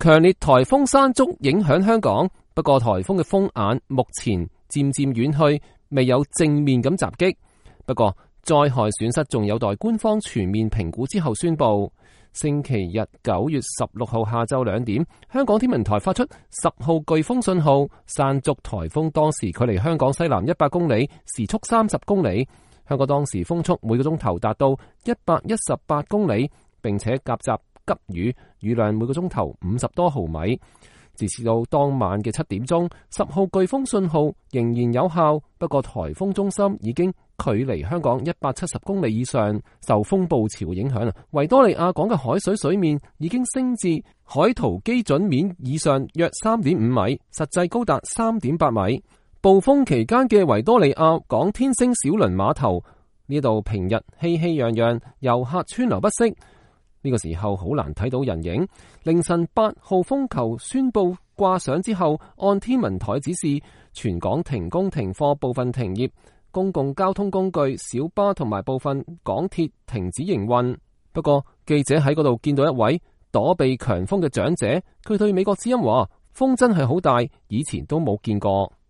強烈颱風山竹影響香港，不過颱風嘅風眼目前漸漸遠去，未有正面咁襲擊。不過災害損失仲有待官方全面評估之後宣布。星期日9月16號下晝2點，香港天文台發出10號颶風信號。山竹颱風當時距離香港西南100公里，時速30公里。香港當時風速每個鐘頭達到118公里，並且夾雜急雨，雨量每個鐘頭50多毫米。直至到當晚嘅7點鐘，10號颶風信號仍然有效。不過颱風中心已經距離香港170公里以上，受風暴潮嘅影響，維多利亞港嘅海水面已經升至海圖基準面以上約3.5米，實際高達3.8米。暴風期間嘅維多利亞港天星小輪碼頭呢度平日熙熙攘攘，遊客川流不息。呢個時候好難睇到人影。凌晨8號風球宣布掛上之後，按天文台指示，全港停工停課，部分停業，公共交通工具、小巴同埋部分港鐵停止營運。不過記者喺嗰度見到一位躲避強風嘅長者，佢對美國之音話：風真係好大，以前都冇見過。